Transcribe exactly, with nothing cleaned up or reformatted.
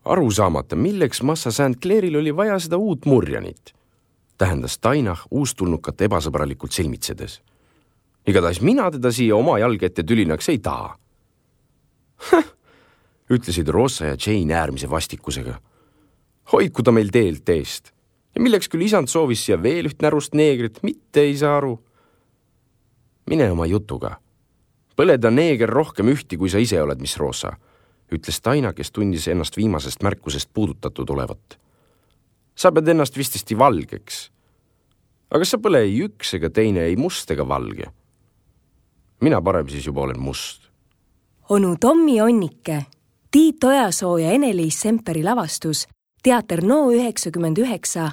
Aru saamata, milleks Massa Saint Clairil oli vaja seda uut murjanit, tähendas Tainah uustulnukat ebasõbralikult silmitsedes. Igatahes mina teda siia oma jalg ette tülinaks ei taha. Häh, ütlesid Rosa ja Jane äärmise vastikusega. Hoidku ta meil teelt eest. Ja milleks küll isand soovis siia veel üht närust neegrit, mitte ei saa aru. Mine oma jutuga. Põleda neeger rohkem ühti, kui sa ise oled, mis Rosa, ütles Taina, kes tundis ennast viimasest märkusest puudutatud olevat. Sa pead ennast vistesti valgeks. Aga sa pole ei üks ega teine, ei must ega valge. Mina parem siis juba olen must. Onu Tommi Onnike, Tiit Ojasoo ja Ene-Liis Semperi lavastus, teater No üheksakümmend üheksa